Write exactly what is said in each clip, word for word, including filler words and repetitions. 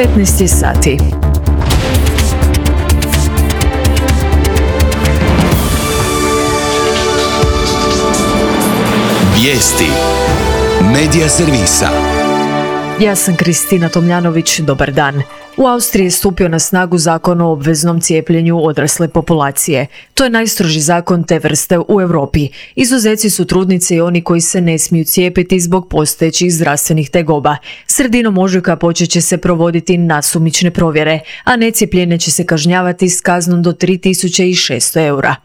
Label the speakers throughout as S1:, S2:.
S1: petnaest je sati.
S2: Vijesti Medija servisa.
S1: Ja sam Kristina Tomljanović, dobar dan. U Austriji je stupio na snagu zakon o obveznom cijepljenju odrasle populacije. To je najstroži zakon te vrste u Europi. Izuzeci su trudnice i oni koji se ne smiju cijepiti zbog postojećih zdravstvenih tegoba. Sredinom ožujka počet će se provoditi nasumične provjere, a necijepljene će se kažnjavati s kaznom do tri tisuće šesto eura.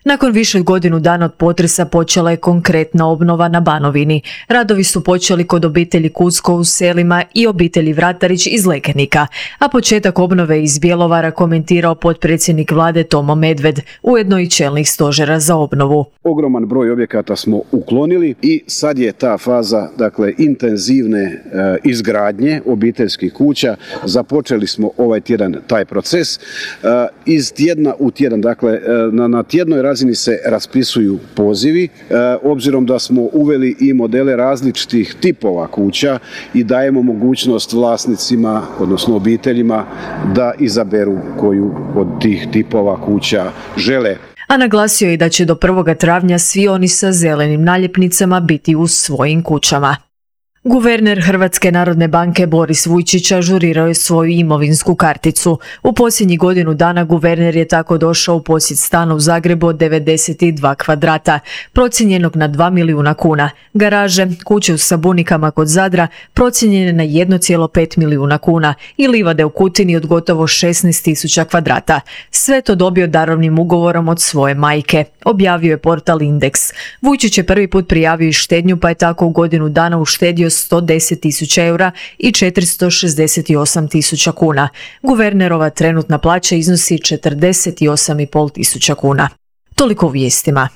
S1: Nakon više od godinu dana od potresa počela je konkretna obnova na Banovini. Radovi su počeli kod obitelji Kucko u Selima i obitelji Vratarić iz Lekenika, a početak obnove iz Bjelovara komentirao potpredsjednik vlade Tomo Medved, ujedno i čelnik stožera za obnovu.
S3: Ogroman broj objekata smo uklonili i sad je ta faza, dakle, intenzivne e, izgradnje obiteljskih kuća. Započeli smo ovaj tjedan taj proces. E, iz tjedna u tjedan, dakle, e, na, na tjednoj razini se raspisuju pozivi, e, obzirom da smo uveli i modele različitih tipova kuća i dajemo mogućnost vlasnicima, odnosno obiteljima, da izaberu koju od tih tipova kuća žele.
S1: A naglasio je da će do prvog travnja svi oni sa zelenim naljepnicama biti u svojim kućama. Guverner Hrvatske narodne banke Boris Vujčić ažurirao je svoju imovinsku karticu. U posljednjih godinu dana guverner je tako došao u posjed stana u Zagrebu od devedeset dva kvadrata, procijenjenog na dva milijuna kuna. Garaže, kuće u Sabunikama kod Zadra procijenjene na jedan zarez pet milijuna kuna i livade u Kutini od gotovo šesnaest tisuća kvadrata. Sve to dobio darovnim ugovorom od svoje majke, objavio je portal Indeks. Vujčić je prvi put prijavio i štednju, pa je tako u godinu dana uštedio sto deset tisuća eura i četiristo šezdeset osam tisuća kuna. Guvernerova trenutna plaća iznosi četrdeset osam i pol tisuća kuna. Toliko u vijestima.